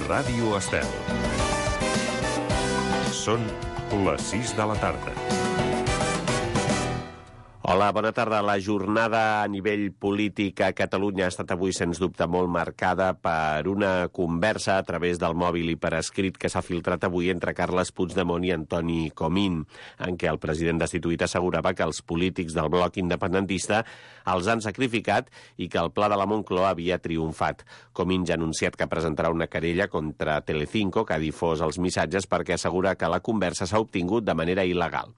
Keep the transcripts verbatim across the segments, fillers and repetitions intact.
Ràdio Estel. Són les sis de la tarda. Hola, bona tarda. La jornada a nivell polític a Catalunya ha estat avui, sens dubte, molt marcada per una conversa a través del mòbil i per escrit que s'ha filtrat avui entre Carles Puigdemont i Antoni Comín, en què el president destituït assegurava que els polítics del bloc independentista els han sacrificat i que el pla de la Moncloa havia triomfat. Comín ja ha anunciat que presentarà una querella contra Telecinco, que ha difós els missatges, perquè assegura que la conversa s'ha obtingut de manera il·legal.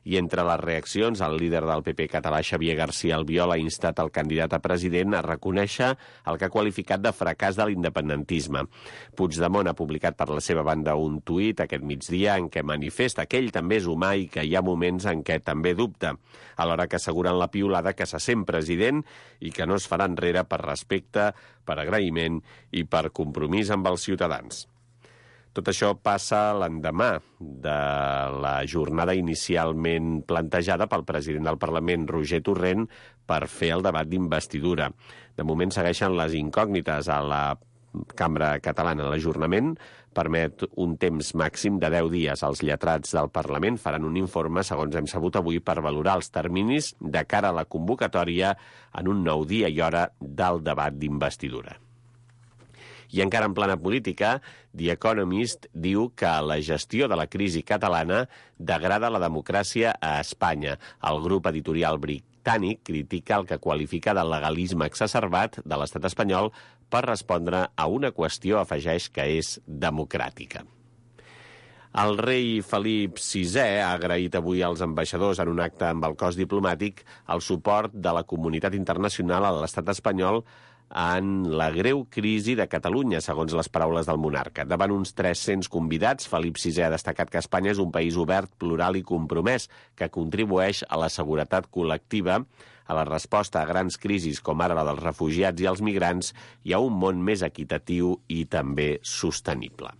I entre les reaccions, el líder del P P català, Xavier García Albiol, ha instat el candidat a president a reconèixer el que ha qualificat de fracàs de l'independentisme. Puigdemont ha publicat per la seva banda un tuit aquest migdia en què manifesta que ell també és humà i que hi ha moments en què també dubta, alhora que asseguren la piulada que se sent president i que no es farà enrere per respecte, per agraïment i per compromís amb els ciutadans. Tot això passa l'endemà de la jornada inicialment plantejada pel president del Parlament, Roger Torrent, per fer el debat d'investidura. De moment segueixen les incògnites a la Cambra Catalana. L'ajornament permet un temps màxim de deu dies. Els lletrats del Parlament faran un informe, segons hem sabut avui, per valorar els terminis de cara a la convocatòria en un nou dia i hora del debat d'investidura. I encara en plana política, The Economist diu que la gestió de la crisi catalana degrada la democràcia a Espanya. El grup editorial britànic critica el que qualifica de legalisme exacerbat de l'estat espanyol per respondre a una qüestió, afegeix, que és democràtica. El rei Felip sisè ha agraït avui als ambaixadors en un acte amb el cos diplomàtic el suport de la comunitat internacional a l'estat espanyol en la greu crisi de Catalunya, segons les paraules del monarca. Davant uns tres-cents convidats, Felip sisè ha destacat que Espanya és un país obert, plural i compromès, que contribueix a la seguretat col·lectiva, a la resposta a grans crisis com ara la dels refugiats i els migrants i a un món més equitatiu i també sostenible.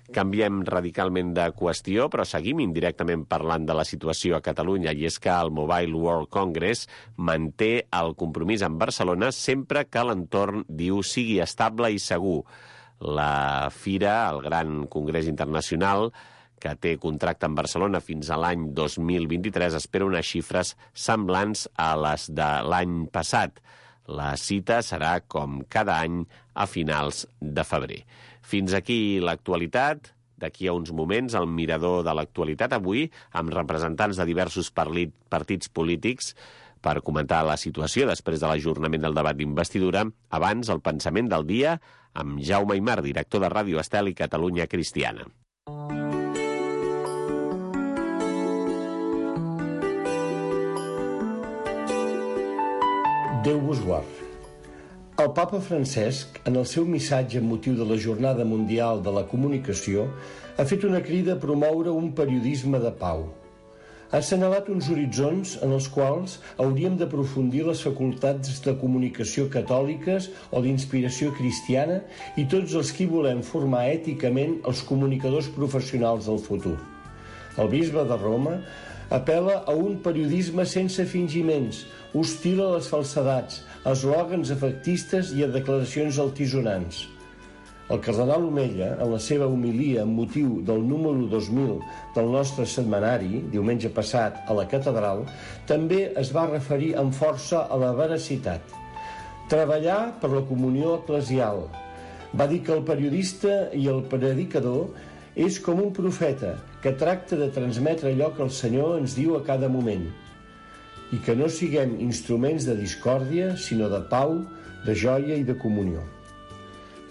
Canviem radicalment de qüestió, però seguim indirectament parlant de la situació a Catalunya, i és que el Mobile World Congress manté el compromís amb Barcelona sempre que l'entorn, diu, sigui estable i segur. La Fira, el gran congrés internacional, que té contracte amb Barcelona fins a l'any dos mil vint-i-tres, espera unes xifres semblants a les de l'any passat. La cita serà, com cada any, a finals de febrer. Fins aquí l'actualitat. D'aquí a uns moments, el mirador de l'actualitat, avui amb representants de diversos partits polítics per comentar la situació després de l'ajornament del debat d'investidura. Abans, el pensament del dia amb Jaume Aymar, director de Ràdio Estel i Catalunya Cristiana. Déu vos guard. El papa Francesc, en el seu missatge amb motiu de la Jornada Mundial de la Comunicació, ha fet una crida a promoure un periodisme de pau. Ha assenyalat uns horitzons en els quals hauríem d'aprofundir les facultats de comunicació catòliques o d'inspiració cristiana i tots els qui volem formar èticament els comunicadors professionals del futur. El bisbe de Roma apel·la a un periodisme sense fingiments, hostil a les falsedats, a eslògans efectistes i a declaracions altisonants. El cardenal Omella, en la seva homilia amb motiu del número dos mil del nostre setmanari, diumenge passat a la catedral, també es va referir amb força a la veracitat. Treballar per la comunió eclesial. Va dir que el periodista i el predicador és com un profeta que tracta de transmetre allò que el Senyor ens diu a cada moment, i que no siguem instruments de discòrdia, sinó de pau, de joia i de comunió.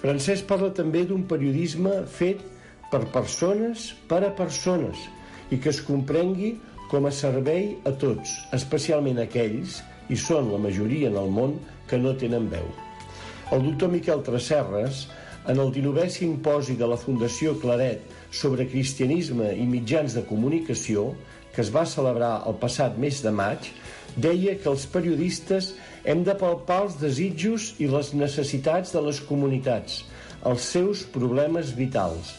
Francesc parla també d'un periodisme fet per persones per a persones i que es comprengui com a servei a tots, especialment aquells, i són la majoria en el món, que no tenen veu. El doctor Miquel Tresserras, en el dinovè simposi de la Fundació Claret sobre cristianisme i mitjans de comunicació, que es va celebrar el passat mes de maig, deia que els periodistes hem de palpar els desitjos i les necessitats de les comunitats, els seus problemes vitals.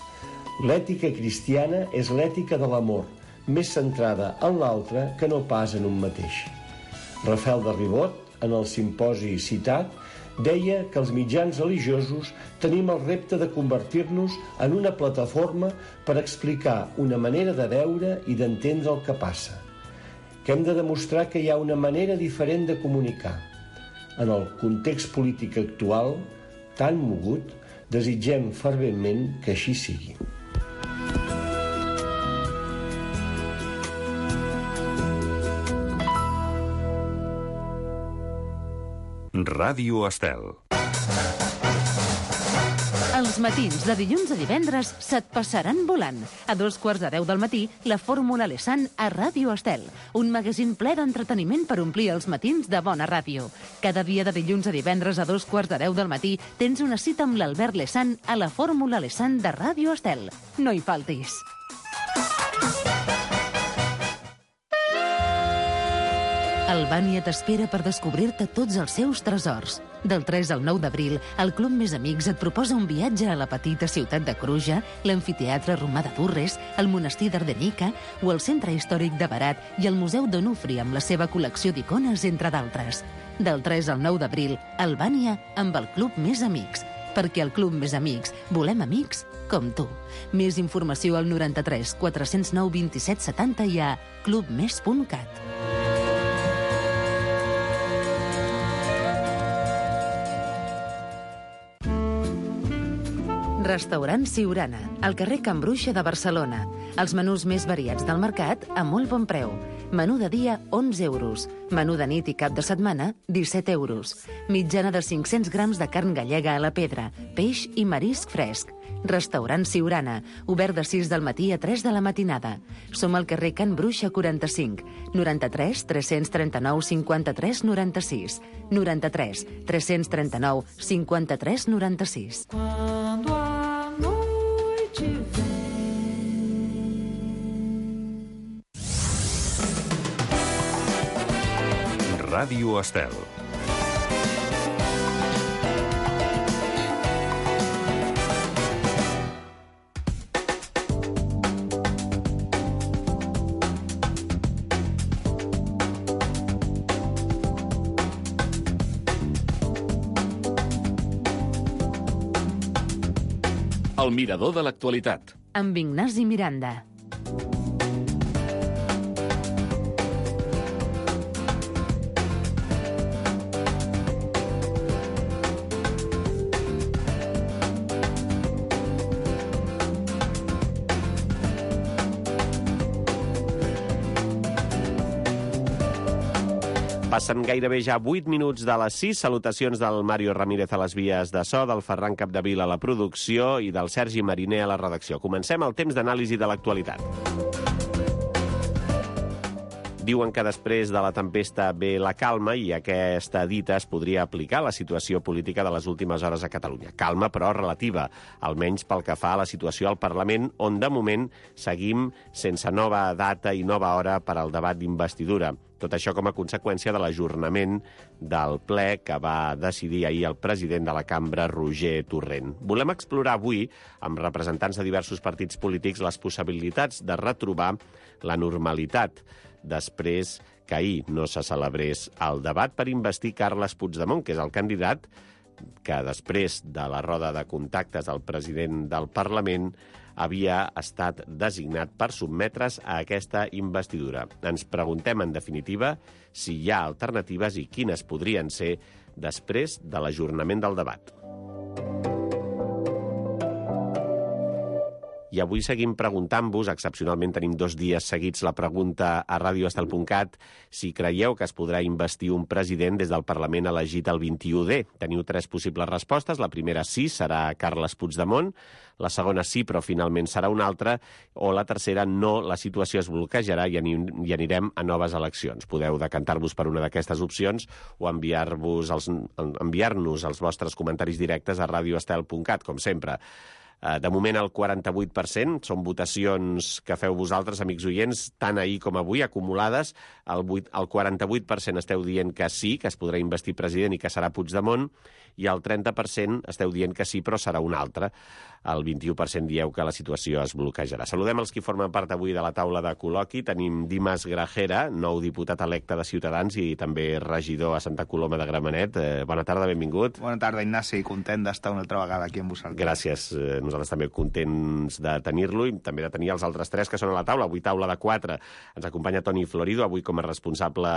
L'ètica cristiana és l'ètica de l'amor, més centrada en l'altre que no pas en un mateix. Rafael de Ribot, en el simposi citat, deia que els mitjans religiosos tenim el repte de convertir-nos en una plataforma per explicar una manera de veure i d'entendre el que passa, que hem de demostrar que hi ha una manera diferent de comunicar. En el context polític actual, tan mogut, desitgem ferventment que així sigui. Ràdio Estel. Els matins de dilluns a divendres se't passaran volant. A dos quarts de deu del matí, la Fórmula Lessan a Ràdio Estel. Un magazín ple d'entreteniment per omplir els matins de bona ràdio. Cada dia de dilluns a divendres a dos quarts de deu del matí tens una cita amb l'Albert Lessan a la Fórmula Lessan de Ràdio Estel. No hi faltis. Albània t'espera per descobrir-te tots els seus tresors. Del tres al nou d'abril, el Club Més Amics et proposa un viatge a la petita ciutat de Cruja, l'amfiteatre romà de Durres, el monestir d'Ardenica o el centre històric de Berat i el Museu d'Onufri amb la seva col·lecció d'icones, entre d'altres. Del tres al nou d'abril, Albània amb el Club Més Amics. Perquè al Club Més Amics volem amics com tu. Més informació al noranta-tres quatre-cents nou vint-i-set setanta i a clubmes punt cat. Restaurant Siurana, al carrer Can Bruixa de Barcelona. Els menús més variats del mercat a molt bon preu. Menú de dia, onze euros. Menú de nit i cap de setmana, disset euros. Mitjana de cinc-cents grams de carn gallega a la pedra, peix i marisc fresc. Restaurant Siurana, obert de sis del matí a tres de la matinada. Som al carrer Can Bruixa quaranta-cinc, noranta-tres tres-cents trenta-nou cinquanta-tres noranta-sis, noranta-tres tres-cents trenta-nou cinquanta-tres noranta-sis. Ràdio Estel. El mirador de l'actualitat. Amb Ignasi Miranda. Passen gairebé ja vuit minuts de les sis. Salutacions del Mario Ramírez a les vies de so, del Ferran Capdevila a la producció i del Sergi Mariner a la redacció. Comencem el temps d'anàlisi de l'actualitat. Diuen que després de la tempesta ve la calma i aquesta dita es podria aplicar a la situació política de les últimes hores a Catalunya. Calma, però relativa, almenys pel que fa a la situació al Parlament, on de moment seguim sense nova data i nova hora per al debat d'investidura. Tot això com a conseqüència de l'ajornament del ple que va decidir ahir el president de la cambra, Roger Torrent. Volem explorar avui, amb representants de diversos partits polítics, les possibilitats de retrobar la normalitat després que ahir no se celebrés el debat per investir Carles Puigdemont, que és el candidat que després de la roda de contactes del president del Parlament havia estat designat per sotmetre's a aquesta investidura. Ens preguntem, en definitiva, si hi ha alternatives i quines podrien ser després de l'ajornament del debat. I avui seguim preguntant-vos, excepcionalment tenim dos dies seguits la pregunta a radioestel punt cat, si creieu que es podrà investir un president des del Parlament elegit el vint-i-u de. Teniu tres possibles respostes. La primera sí, serà Carles Puigdemont. La segona sí, però finalment serà una altra. O la tercera no, la situació es bloquejarà i anirem a noves eleccions. Podeu decantar-vos per una d'aquestes opcions o enviar-vos els, enviar-nos els vostres comentaris directes a radioestel punt cat, com sempre. De moment, el quaranta-vuit per cent són votacions que feu vosaltres, amics oients, tant ahir com avui, acumulades. El, el quaranta-vuit per cent esteu dient que sí, que es podrà investir president i que serà Puigdemont, i el trenta per cent esteu dient que sí, però serà un altre. El vint-i-u per cent dieu que la situació es bloquejarà. Saludem els qui formen part avui de la taula de col·loqui. Tenim Dimas Grajera, nou diputat electe de Ciutadans i també regidor a Santa Coloma de Gramenet. Eh, bona tarda, benvingut. Bona tarda, Ignasi. Content d'estar una altra vegada aquí amb vosaltres. Gràcies. Eh, nosaltres també contents de tenir-lo i també de tenir els altres tres que són a la taula. Avui taula de quatre. Ens acompanya Toni Florido, avui com a responsable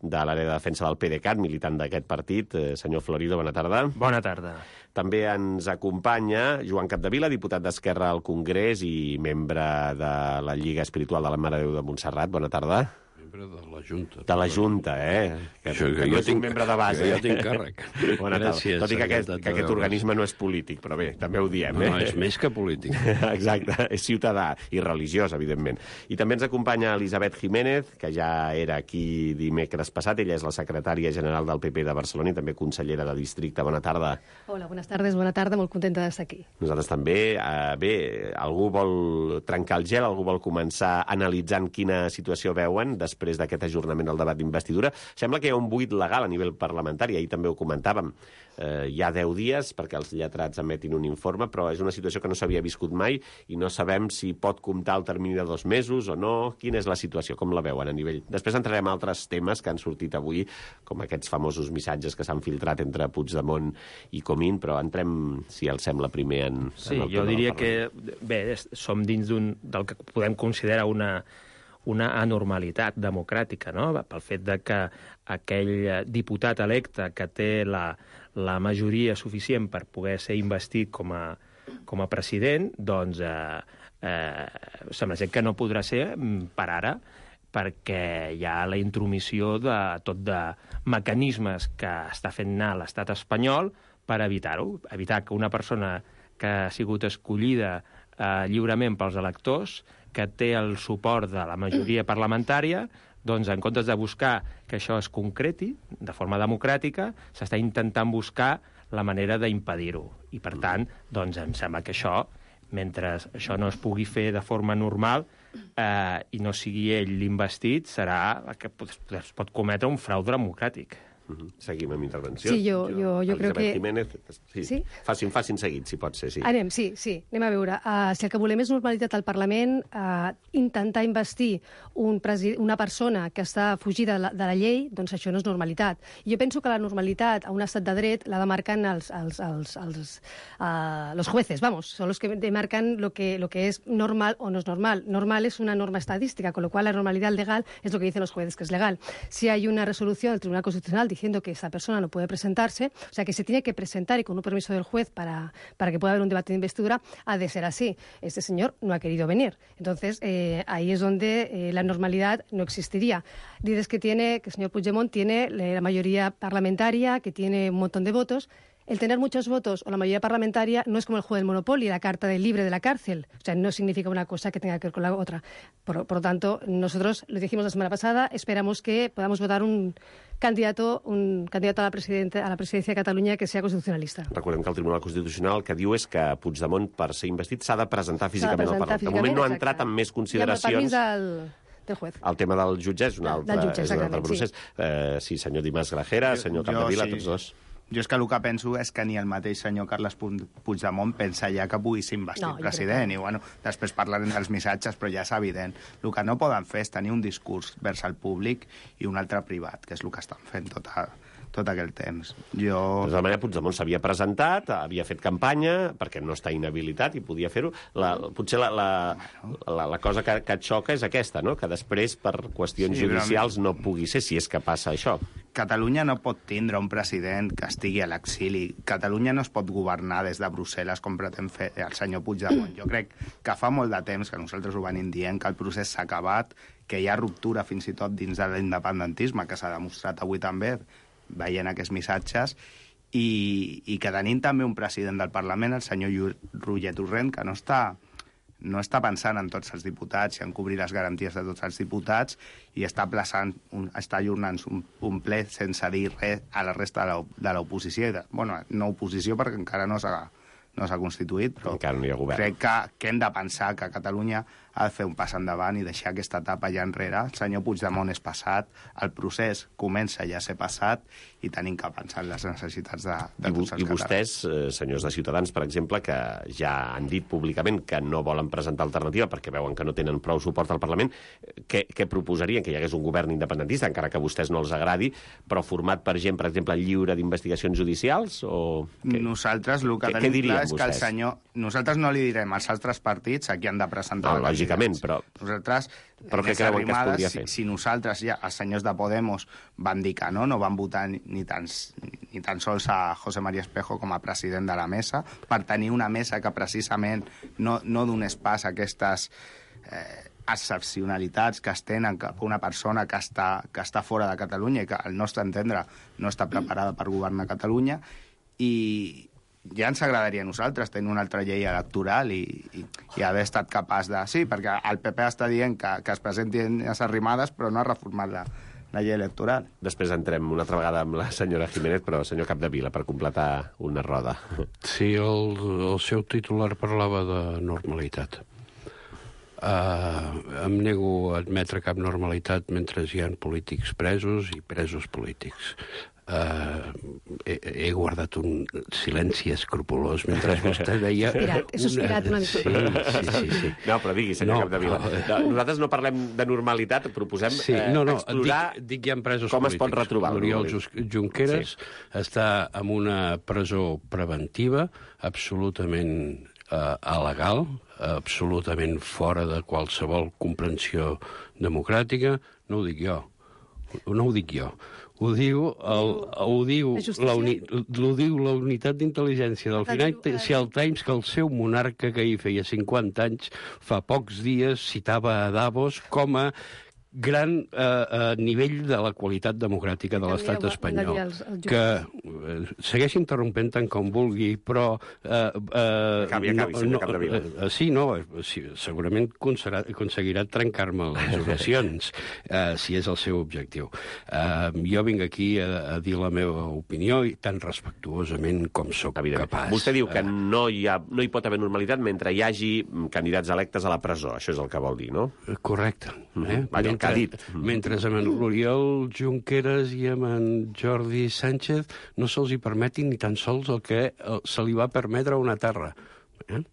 de l'àrea de defensa del PDeCAT, militant d'aquest partit. Eh, senyor Florido, bona tarda. Bona tarda. També ens acompanya Joan Capdevila, diputat d'Esquerra al Congrés i membre de la Lliga Espiritual de la Mare de Déu de Montserrat. Bona tarda. Membre de la Junta. De la Junta, eh? Que, Això, que, que que no jo és tinc, un membre de base. Que jo tinc càrrec. Bona tarda. Gràcies. Tot i que aquest, que aquest organisme no és polític, però bé, també ho diem, eh? No, és més que polític. Exacte, és ciutadà i religiós, evidentment. I també ens acompanya Elisabet Jiménez, que ja era aquí dimecres passat. Ella és la secretària general del P P de Barcelona i també consellera de districte. Bona tarda. Hola, buenas tardes, bona tarda, molt contenta d'estar aquí. Nosaltres també. Eh, bé, algú vol trencar el gel, algú vol començar analitzant quina situació veuen després d'aquest ajornament del debat d'investidura. Sembla que hi ha un buit legal a nivell parlamentari, ahir també ho comentàvem. Eh, hi ha deu dies perquè els lletrats emetin un informe, però és una situació que no s'havia viscut mai i no sabem si pot comptar el termini de dos mesos o no. Quina és la situació? Com la veuen a nivell? Després entrarem a altres temes que han sortit avui, com aquests famosos missatges que s'han filtrat entre Puigdemont i Comín, però entrem, si els sembla, primer en... Sí, en el jo diria que, bé, som dins d'un del que podem considerar una una anormalitat democràtica, no? Pel fet de que aquell diputat electe que té la, la majoria suficient per poder ser investit com a, com a president, doncs eh, eh, sembla ser que no podrà ser per ara, perquè hi ha la intromissió de tot de mecanismes que està fent anar l'estat espanyol per evitar-ho, evitar que una persona que ha sigut escollida eh, lliurement pels electors, que té el suport de la majoria parlamentària, doncs en comptes de buscar que això es concreti de forma democràtica, s'està intentant buscar la manera d'impedir-ho. I, per tant, doncs em sembla que això, mentre això no es pugui fer de forma normal eh, i no sigui ell l'investit, serà que es pot cometre un frau democràtic. Uh-huh. Seguim amb intervenció. Sí, jo, jo, jo crec que... Jiménez, sí. Sí? Facin, facin seguit, si pot ser, sí. Anem, sí, sí, anem a veure. Uh, si el que volem és normalitat al Parlament, uh, intentar investir un una persona que està fugida de la, de la llei, doncs això no és normalitat. I jo penso que la normalitat a un estat de dret la demarquen els, els, els, els, uh, los jueces, vamos, son los que demarcan lo que, lo que es normal o no es normal. Normal es una norma estadística, con lo cual la normalidad legal es lo que dicen los jueces que es legal. Si hay una resolución del Tribunal Constitucional diciendo que esa persona no puede presentarse, o sea, que se tiene que presentar y con un permiso del juez para, para que pueda haber un debate de investidura, ha de ser así. Este señor no ha querido venir. Entonces, eh, ahí es donde eh, la normalidad no existiría. Dices que tiene, que el señor Puigdemont tiene la mayoría parlamentaria, que tiene un montón de votos. El tener muchos votos o la mayoría parlamentaria no es como el juego del Monopoly, la carta del libre de la cárcel. O sea, no significa una cosa que tenga que ver con la otra. Por, por lo tanto, nosotros lo dijimos la semana pasada, esperamos que podamos votar un candidato, un candidato a la, presidenta, a la presidencia de Catalunya que sea constitucionalista. Recordem que el Tribunal Constitucional el que diu és que Puigdemont, per ser investit, s'ha de presentar físicament al Parlament. De moment no ha entrat en més consideracions. I amb el permís del... del juez. El tema del jutge és un altre, jutge, és un altre procés. Sí, eh, sí senyor Dimas Grajera, senyor Capdevila, sí. tots dos. Jo és que el que penso és que ni el mateix senyor Carles Puigdemont pensa ja que pugui ser investit no, president. I, bueno, després parlarem dels missatges, però ja és evident. El que no poden fer és tenir un discurs vers el públic i un altre privat, que és el que estan fent tot, a, tot aquell temps. Jo... De tota manera, Puigdemont s'havia presentat, havia fet campanya, perquè no està inhabilitat i podia fer-ho. La, potser la, la, la, la cosa que, que et xoca és aquesta, no? Que després, per qüestions sí, judicials, no pugui ser, si és que passa això. Catalunya no pot tindre un president que estigui a l'exili. Catalunya no es pot governar des de Brussel·les com pretén fer el senyor Puigdemont. Jo crec que fa molt de temps que nosaltres ho venim dient, que el procés s'ha acabat, que hi ha ruptura fins i tot dins de l'independentisme, que s'ha demostrat avui també, veient aquests missatges, i, i que tenim també un president del Parlament, el senyor Roger Torrent, que no està... no està pensant en tots els diputats i en cobrir les garanties de tots els diputats i està aplaçant, un, està ajornant un, un ple sense dir res a la resta de l'oposició. Bueno, no oposició perquè encara no s'ha no s'ha constituït, però encara no hi ha govern. Crec que, que hem de pensar que Catalunya ha de fer un pas endavant i deixar aquesta etapa ja enrere. El senyor Puigdemont és passat, el procés comença ja a ser passat i tenim que pensar en les necessitats de, de I, tots els I vostès, eh, senyors de Ciutadans, per exemple, que ja han dit públicament que no volen presentar alternativa perquè veuen que no tenen prou suport al Parlament, què, què proposarien? Que hi hagués un govern independentista, encara que a vostès no els agradi, però format per gent, per exemple, lliure d'investigacions judicials? O què? Nosaltres el que què, tenim què clar és que el vostès? senyor... Nosaltres no li direm als altres partits a qui han de presentar... No, lògicament, però... Nosaltres... Però què creuen que es podria fer? Si, si nosaltres, ja, els senyors de Podemos, van dir que no, no van votar ni, ni, tan, ni tan sols a José María Espejo com a president de la mesa, per tenir una mesa que precisament no, no donés pas a aquestes... Eh, excepcionalitats que es tenen cap a una persona que està, que està fora de Catalunya i que, al nostre entendre, no està preparada per governar Catalunya, i ja ens agradaria a nosaltres tenir una altra llei electoral i, i, i haver estat capaç de... Sí, perquè el P P està dient que, que es presentin les arrimades, però no ha reformat la, la llei electoral. Després entrem una altra vegada amb la senyora Jiménez, però senyor Capdevila, per completar una roda. Sí, el, el seu titular parlava de normalitat. Uh, em nego a admetre cap normalitat mentre hi ha polítics presos i presos polítics. Uh, he, he guardat un silenci escrupolós mentre vostè deia... Sospirat, he sospirat una mica. Sí, sí, sí, sí. No, però digui, senyor No, Capdevila. no. Nosaltres no parlem de normalitat, proposem Sí, eh, no, no, explorar dic, dic hi ha presos com polítics. es pot retrobar. L'Oriol Junqueras Sí. està en una presó preventiva absolutament eh, alegal, absolutament fora de qualsevol comprensió democràtica. No ho dic jo, no ho dic jo. Ho diu, el, ho diu, la, uni, ho diu la unitat d'intel·ligència del Financial Times, que el seu monarca, que hi feia cinquanta anys, fa pocs dies citava a Davos com a gran eh, eh, nivell de la qualitat democràtica de l'estat espanyol. Que eh, segueix interrompent tant com vulgui, però... Eh, eh, acabi, acabi, senyor Capdevila. Eh, sí, no, sí, segurament aconseguirà, aconseguirà trencar-me les oracions, eh, si és el seu objectiu. Eh, jo vinc aquí a, a dir la meva opinió, i tan respectuosament com sóc capaç. Vostè diu que no hi, ha, no hi pot haver normalitat mentre hi hagi candidats electes a la presó. Això és el que vol dir, no? Correcte. Eh? Vaja, el que ha dit. Mentre amb l'Oriol Junqueras i amb en Jordi Sánchez no se'ls hi permeti ni tan sols el que se li va permetre a una terra. Eh?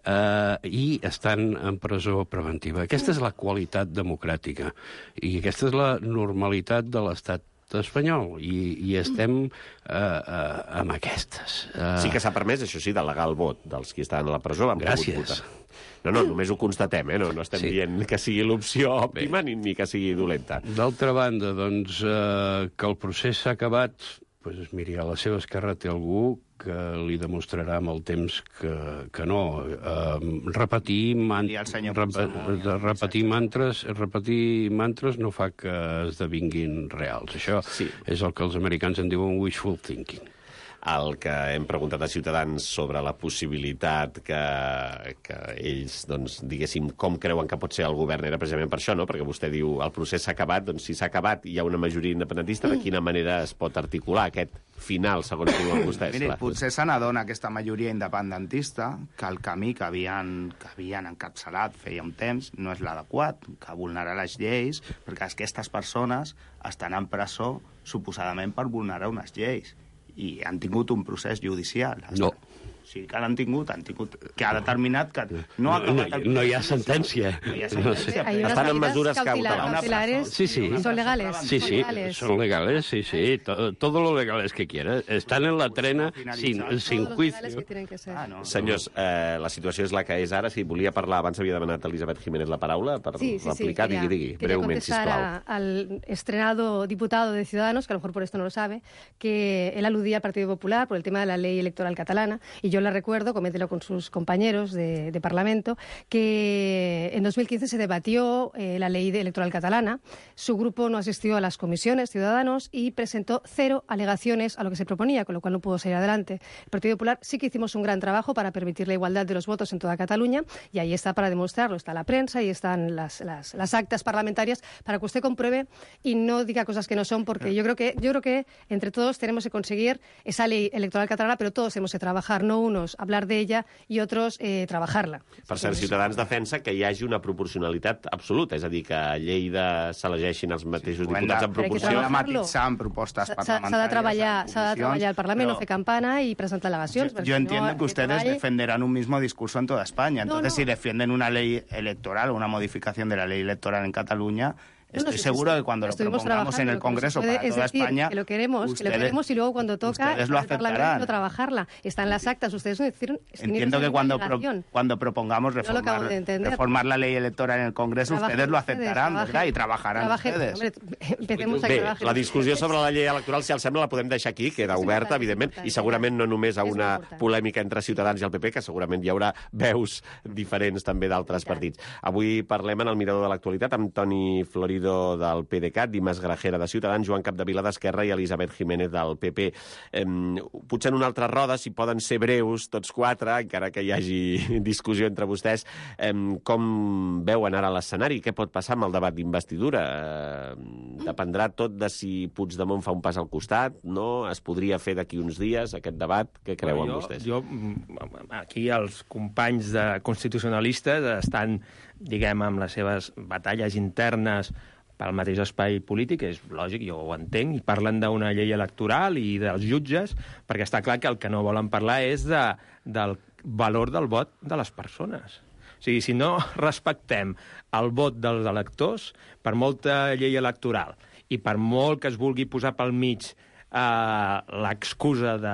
Uh, i estan en presó preventiva. Aquesta és la qualitat democràtica i aquesta és la normalitat de l'estat espanyol, i, i estem uh, uh, amb aquestes. Uh... Sí que s'ha permès, això sí, delegar el vot dels qui estaven a la presó. Gràcies. No, no, només ho constatem, eh? No, no estem sí. dient que sigui l'opció òptima ni, ni que sigui dolenta. D'altra banda, doncs, uh, que el procés s'ha acabat, doncs, miri, a la seva esquerra té algú que li demostrarà amb el temps que, que no. Uh, repetir, man rep repetir mantres repetir mantres no fa que esdevinguin reals. Això sí. és el que els americans en diuen wishful thinking. El que hem preguntat a Ciutadans sobre la possibilitat que, que ells, doncs, diguéssim, com creuen que pot ser el govern, era precisament per això, no? Perquè vostè diu, el procés s'ha acabat, doncs si s'ha acabat i hi ha una majoria independentista, de quina manera es pot articular aquest final, segons diuen vostès? Miri, potser se n'adona aquesta majoria independentista que el camí que havien, que havien encapçalat feia un temps no és l'adequat, que vulnera les lleis, perquè aquestes persones estan en presó suposadament per vulnerar unes lleis. I han tingut un procés judicial. No. Sí que l'han tingut, han tingut, que ha determinat que no ha no, no, no hi ha sentència. No hi ha sentència. No sé. Estan en mesures cautelares. Sí, sí. Son legales. Sí, sí, son legales, sí, sí. Todo, todo lo legales que quieras. Están en la trena sin, sin juicio. Ah, no. Senyors, eh, la situació és la que és ara. Si volia parlar, abans havia demanat a Elisabet Jiménez la paraula per sí, sí, replicar. Sí, digui, digui, breument, sisplau. Al estrenado diputado de Ciudadanos, que a lo mejor por esto no lo sabe, que él aludía al Partido Popular por el tema de la ley electoral catalana, y yo le recuerdo, coméntelo con sus compañeros de, de Parlamento, que en dos mil quince se debatió eh, la ley electoral catalana. Su grupo no asistió a las comisiones, Ciudadanos, y presentó cero alegaciones a lo que se proponía, con lo cual no pudo salir adelante. El Partido Popular sí que hicimos un gran trabajo para permitir la igualdad de los votos en toda Cataluña, y ahí está para demostrarlo, está la prensa y están las, las, las actas parlamentarias para que usted compruebe y no diga cosas que no son, porque yo creo que, yo creo que entre todos tenemos que conseguir esa ley electoral catalana, pero todos tenemos que trabajar, no unos hablar de ella y otros eh, trabajarla. Per cert, Ciutadans defensa que hi hagi una proporcionalitat absoluta, és a dir, que a Lleida s'elegeixin els mateixos Sí, diputats en Però proporció. Hem de matisar en propostes S'ha parlamentàries. de treballar, s'ha de treballar al Parlament, però no fer campana y presentar delegacions. Yo, yo entiendo que ustedes treball... defenderán un mismo discurso en toda España. Entonces, No, no. si defienden una ley electoral o una modificación de la ley electoral en Cataluña, No, estoy no, sí, seguro sí, de que cuando lo estuvimos propongamos en el trabajando, lo que Congreso se puede, para es toda decir, España, que lo queremos, ustedes, que lo queremos y luego cuando toca ustedes lo el Parlamento aceptarán. no trabajarla. Están las actas, ustedes no hicieron... Entiendo que cuando, pro, cuando propongamos No lo acabo reformar, de entender. reformar la ley electoral en el Congreso, Trabajen ustedes lo ustedes, aceptarán, trabajen, ¿verdad? Y trabajarán trabajen, ustedes. Hombre, empecemos a que Bé, trabajen. la discussió sobre la llei electoral, si els sembla, la podem deixar aquí, queda És oberta, important, evidentment, és important, i segurament no només a és una important. polèmica entre Ciutadans i el P P, que segurament hi haurà veus diferents també d'altres partits. Avui parlem en el Mirador de l'Actualitat amb Toni Florido del PDeCAT, Dimas Grajera de Ciutadans, Joan Capdevila d'Esquerra i Elisabet Jiménez del P P. Eh, potser en una altra roda, si poden ser breus tots quatre, encara que hi hagi discussió entre vostès, eh, com veuen ara l'escenari? Què pot passar amb el debat d'investidura? Eh, dependrà tot de si Puigdemont fa un pas al costat, no? Es podria fer d'aquí uns dies, aquest debat? Què creuen jo, vostès? Jo, aquí els companys de constitucionalistes estan, diguem, amb les seves batalles internes pel mateix espai polític, és lògic, jo ho entenc, i parlen d'una llei electoral i dels jutges, perquè està clar que el que no volen parlar és de, del valor del vot de les persones. O sigui, si no respectem el vot dels electors, per molta llei electoral i per molt que es vulgui posar pel mig Uh, l'excusa de,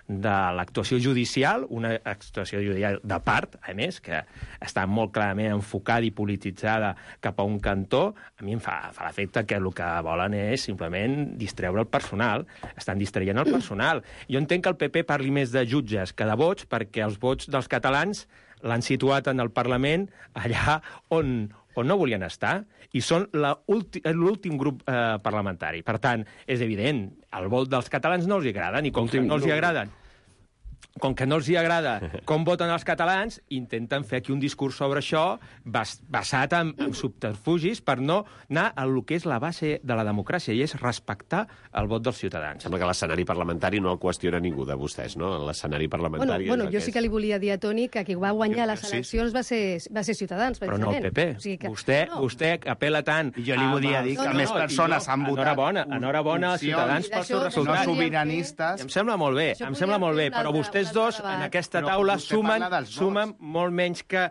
de l'actuació judicial, una actuació judicial de part, a més, que està molt clarament enfocada i polititzada cap a un cantó, a mi em fa, fa l'efecte que el que volen és simplement distreure el personal. Estan distraient el personal. Jo entenc que el P P parli més de jutges que de vots, perquè els vots dels catalans l'han situat en el Parlament allà on, on no volien estar, i són l'últim grup eh, parlamentari. Per tant, és evident, el vot dels catalans no els hi agrada, ni com que no els hi agraden. Com que no els hi agrada com voten els catalans, intenten fer aquí un discurs sobre això bas basat en, en subterfugis per no anar a lo que és la base de la democràcia, i és respectar el vot dels ciutadans. Sembla que l'escenari parlamentari no el qüestiona ningú de vostès, no? L'escenari parlamentari... Bueno, bueno és jo sí que li volia dir a Toni que qui va guanyar les eleccions va ser, va ser Ciutadans, però no el P P. O sigui que... Vostè, no. vostè apel·la tant... I jo li volia dir que no, no, més no, persones han votat... Enhorabona, enhorabona als ciutadans pels seus resultats. No sobiranistes... Em sembla molt bé, em sembla molt bé, però vostès dos en aquesta taula sumen, sumen molt menys que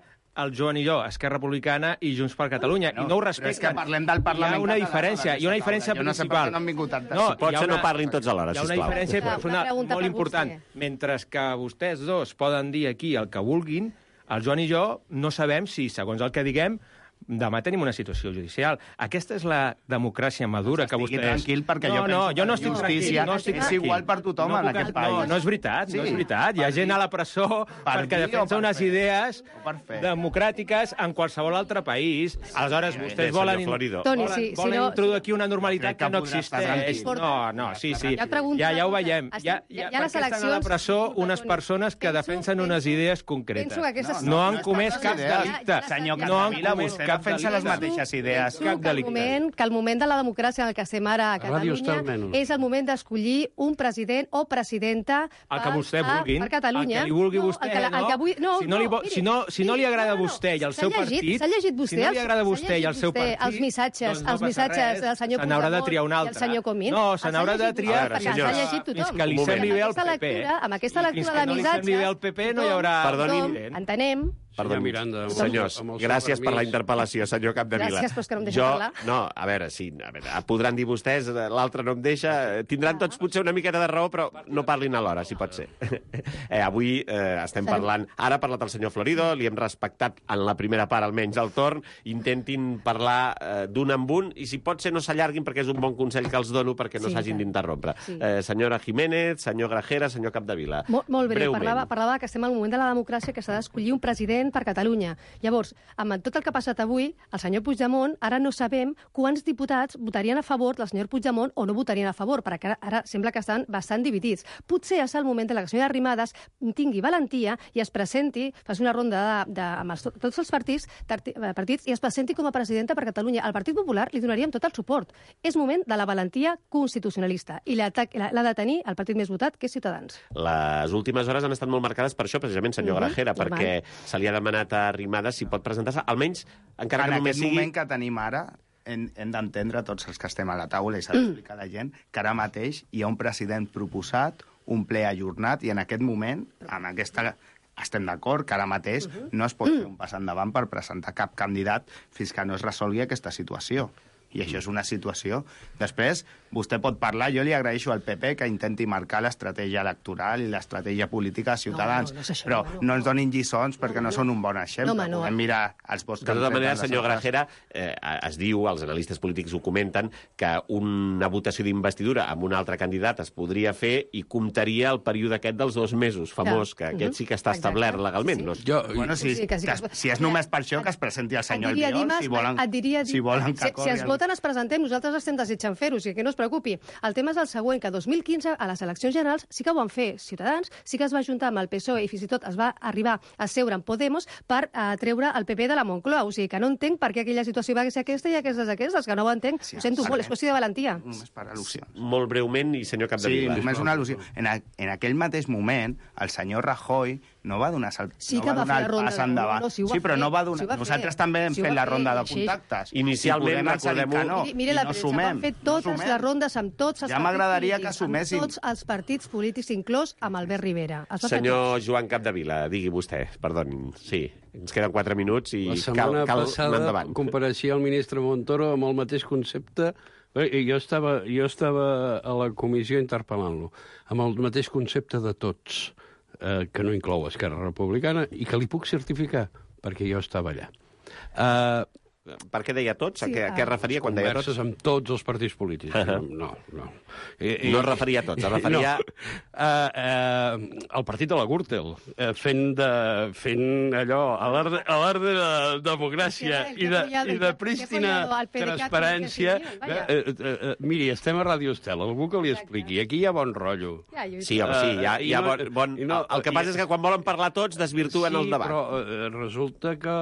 el Joan i jo, Esquerra Republicana i Junts per Catalunya, no, i no ho Però respecten. és que parlem del Parlament Hi ha una català, diferència, hi ha una diferència jo no sé per principal. què no han vingut tantes. No, Pot hi ha ser una, no parlin tots alhora, hi ha una sisplau. diferència Una personal pregunta molt per important. vostè. Mentre que vostès dos poden dir aquí el que vulguin, el Joan i jo no sabem si, segons el que diguem, demà tenim una situació judicial. Aquesta és la democràcia madura que vostès... Estigui tranquil, perquè no, jo no, penso jo no que estic la tranquil. justícia No estic és tranquil. igual per tothom no en puc, aquest no, país. No és veritat, Sí. no és veritat. Hi ha gent a la presó Per perquè dir o defensa per unes fer? idees O per fer? democràtiques en qualsevol altre país. Aleshores, Bé, vostès senyor volen, Florido. Toni, volen, sí, si volen no- introduir aquí una normalitat Crec que que no podrà estar existeix. tranquil. No, no, sí, sí. Jo et pregunto Ja, ja ho una cosa. veiem. Estic- Ja, hi ha ja, les perquè estan a la eleccions- presó unes Toni, persones que penso- defensen unes penso- idees concretes. penso que aquestes- No han no comès estan cap les idees. delicte. Ja- ja Senyor les- No han Capdevila, comès vostè cap defensa les delicte. mateixes idees. Penso Cap que el, delicte. moment, que el moment de la democràcia en el que estem ara a Ràdio Catalunya Estel menys. és el moment d'escollir un president o presidenta El que per- vostè per- vulguin, per Catalunya. el que li vulgui No, vostè, el que, el no? que vull, no, Si no li vo- miri, si no- si no li agrada a no, no, vostè i al s'ha seu llegit, partit, s'ha llegit vostè, si no li els- agrada a s'ha vostè i al llegit seu vostè partit, els missatges, doncs no els passa missatges res. del senyor Se n'haurà de Puigdemont triar un i el altre. senyor Comín. No, Els se ha n'haurà de llegit triar vostè, perquè perquè els senyors, ha llegit tothom. fins que li Un moment. sembli bé el Amb aquesta P P. lectura, amb aquesta I lectura fins que de no li missatges... sembli bé el P P no hi haurà... Perdoni. tothom entenem. Perdó, Senyor Miranda, amb el- senyors, amb el seu gràcies per la permís. interpel·lació, senyor Capdevila. Gràcies, però és que no em deixa jo, parlar. No, a veure, sí, a veure, podran dir vostès, l'altre no em deixa, tindran tots potser una miqueta de raó, però no parlin alhora, si pot ser. eh, avui eh, estem parlant, ara ha parlat el senyor Florido, li hem respectat en la primera part almenys el torn, intentin parlar eh, d'un en un, i si pot ser no s'allarguin, perquè és un bon consell que els dono perquè no Sí, s'hagin tant. d'interrompre. Sí. Eh, senyora Jiménez, senyor Grajera, senyor Capdevila. Molt, molt breu, Breument. parlava, parlava que estem al moment de la democràcia que s'ha d'escollir un president president per Catalunya. Llavors, amb tot el que ha passat avui, el senyor Puigdemont, ara no sabem quants diputats votarien a favor del senyor Puigdemont o no votarien a favor, perquè ara, ara sembla que estan bastant dividits. Potser és el moment de la senyora Arrimadas tingui valentia i es presenti, faci una ronda de, de, amb els, tots els partits, tarti, partits i es presenti com a presidenta per Catalunya. Al Partit Popular li donaríem tot el suport. És moment de la valentia constitucionalista i l'ha de tenir el partit més votat, que és Ciutadans. Les últimes hores han estat molt marcades per això, precisament, senyor mm-hmm. Grajera, perquè se li ha demanat a Arrimadas si pot presentar-se, almenys, encara que en només sigui... En aquest moment que tenim ara, hem, hem d'entendre tots els que estem a la taula i s'ha d'explicar a la gent que ara mateix hi ha un president proposat, un ple ajornat, i en aquest moment, amb aquesta... estem d'acord que ara mateix uh-huh. no es pot fer un pas endavant per presentar cap candidat fins que no es resolgui aquesta situació. I això és una situació. Després, vostè pot parlar, jo li agraeixo al P P que intenti marcar l'estratègia electoral i l'estratègia política a Ciutadans, no, no, no això, però no, no ens donin lliçons perquè no, no, no són un bon exemple. No, no. Podem mirar els vots que han fet. De tota manera, senyor Grajera, eh, es diu, els analistes polítics ho comenten, que una votació d'investidura amb un altre candidat es podria fer i comptaria el període aquest dels dos mesos famós, que aquest sí que està establert legalment. No? Jo, bueno, si, sí, que sí, que... si és només per això, que es presenti el senyor Albiol, si volen, si volen que corri... Si es voten, es presentem, nosaltres estem desitjant fer-ho, o sigui que no es preocupi. El tema és el següent, que dos mil quinze, a les eleccions generals, sí que ho van fer Ciutadans, sí que es va juntar amb el P S O E i fins i tot es va arribar a seure amb Podemos per uh, treure el P P de la Moncloa. O sigui que no entenc per què aquella situació va ser aquesta i aquestes aquestes, que no ho entenc. Sí, ho sento molt, és qüestió de valentia. Només per al·lusions. Molt breument, i senyor Capdevila. Sí, només una al·lusió. En, a, en aquell mateix moment, el senyor Rajoy no va donar, sal... sí no va donar el pas endavant. No, no, si sí, però fer, no va donar... Si Nosaltres fer. també hem si fet la ronda de sí. contactes. Inicialment, recordem-ho... No, mire la no premsa, sumem, van fer totes no les rondes amb tots els ja m'agradaria que suméssim. amb tots els partits polítics, inclòs amb Albert Rivera. Senyor Joan Capdevila, digui vostè, perdoni, sí, ens queden quatre minuts i cal, cal anar endavant. La setmana passada compareixia el ministre Montoro amb el mateix concepte. Jo estava, jo estava a la comissió interpel·lant-lo, amb el mateix concepte de tots, eh, que no inclou Esquerra Republicana, i que li puc certificar, perquè jo estava allà. Eh... Per què deia tots? Sí, a què, a què referia quan deia tots? Converses amb tots els partits polítics. Uh -huh. No, no. I, i... No es referia a tots, es referia... No. Uh, uh, el partit de la Gürtel, uh, fent, de, fent allò a l'art de la democràcia i de, i de prístina transparència. Uh, uh, uh, miri, estem a Ràdio Estel, algú que li expliqui. Aquí hi ha bon rotllo. Sí, home, sí, hi ha, hi ha bon... bon... No, el que passa és que quan volen parlar tots desvirtuen el debat. Sí, però uh, resulta que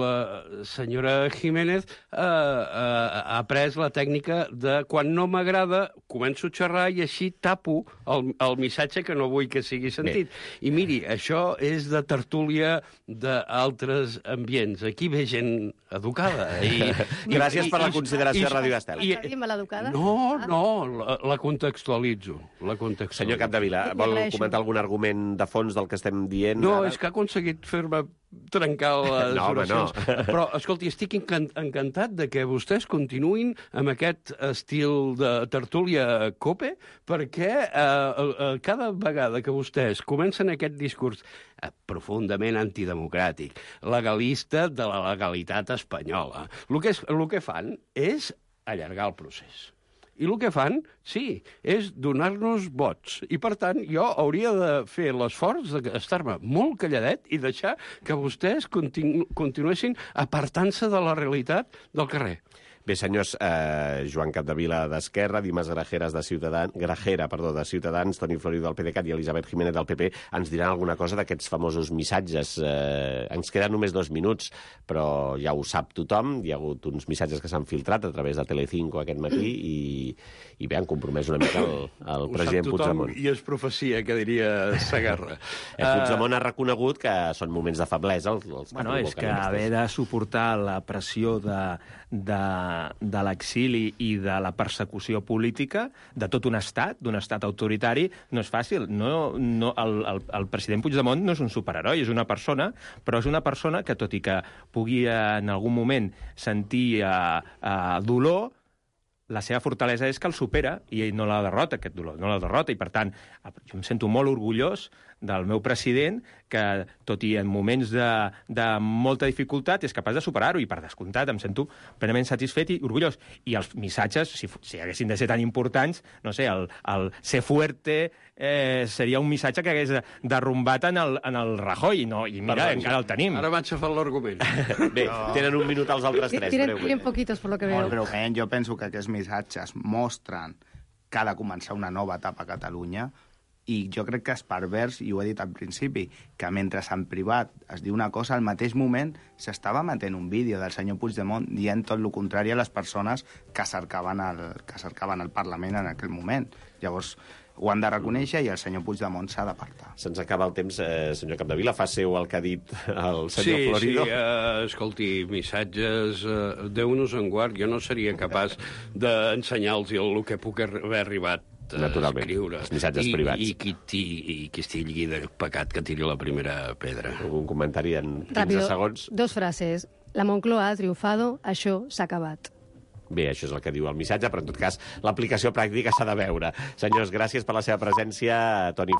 la senyora Jiménez eh, eh, ha pres la tècnica de quan no m'agrada començo a xerrar i així tapo el, el missatge que no vull que sigui sentit. Bé. I miri, això és de tertúlia d'altres ambients. Aquí ve gent educada. I, Gràcies i, per la i, consideració i, a Ràdio Estel. I, i, maleducada? no, no, la, la contextualitzo. La contextualitzo. Senyor Capdevila, vol comentar algun argument de fons del que estem dient? No, ara? És que ha aconseguit fer-me trencar les no, oracions. No. Però, escolti, estic encantat de que vostès continuïn amb aquest estil de tertúlia cope, perquè eh, eh, cada vegada que vostès comencen aquest discurs eh, profundament antidemocràtic, legalista de la legalitat espanyola, el que, és, el que fan és allargar el procés. I el que fan, sí, és donar-nos vots. I, per tant, jo hauria de fer l'esforç d'estar-me molt calladet i deixar que vostès continu continuessin apartant-se de la realitat del carrer. Bé, senyors, eh, Joan Capdevila d'Esquerra, Dimas Grajeras de Ciutadans, Grajera, perdó, de Ciutadans, Toni Florido del PDeCAT i Elisabet Jiménez del P P, ens diran alguna cosa d'aquests famosos missatges. Eh, ens queden només dos minuts, però ja ho sap tothom. Hi ha hagut uns missatges que s'han filtrat a través de Telecinco aquest matí i, i bé, han compromès una mica el, el president Puigdemont. I és profecia, que diria Segarra. eh, Puigdemont ha reconegut que són moments de feblesa. Els, els bueno, és que haver de suportar la pressió de, de de l'exili i de la persecució política de tot un estat, d'un estat autoritari, no és fàcil. No, no, el, el, el president Puigdemont no és un superheroi, és una persona, però és una persona que, tot i que pugui en algun moment sentir uh, uh, dolor, la seva fortalesa és que el supera i no la derrota, aquest dolor, no la derrota, i per tant jo em sento molt orgullós del meu president, que, tot i en moments de, de molta dificultat, és capaç de superar-ho, i per descomptat em sento plenament satisfet i orgullós. I els missatges, si, si haguessin de ser tan importants, no sé, el, el ser fuerte eh, seria un missatge que hagués derrumbat en el, en el Rajoy, no? I mira, Perdó, encara el tenim. Ara vaig a fer l'argument. Bé, tenen un minut els altres tres. Tienen, breument. tienen poquitos, por lo que veo. Molt breument, jo penso que aquests missatges mostren que ha de començar una nova etapa a Catalunya, i jo crec que és pervers, i ho he dit al principi, que mentre en privat es diu una cosa, al mateix moment s'estava emetent un vídeo del senyor Puigdemont dient tot el contrari a les persones que cercaven el, que cercaven el Parlament en aquell moment. Llavors, ho han de reconèixer i el senyor Puigdemont s'ha d'apartar. Se'ns acaba el temps, eh, senyor Capdevila. Fa seu el que ha dit el senyor sí, Florido. Sí, uh, escolti, missatges, uh, Déu-nos en guard, jo no seria capaç d'ensenyar-los el que puc haver arribat a Naturalment, escriure. els missatges I, privats. I qui, ti, i qui estigui de pecat que tiri la primera pedra. Algun comentari en quinze Rápido, segons? dos frases. La Moncloa ha triomfado, això s'ha acabat. Bé, això és el que diu el missatge, però en tot cas l'aplicació pràctica s'ha de veure. Senyors, gràcies per la seva presència. Toni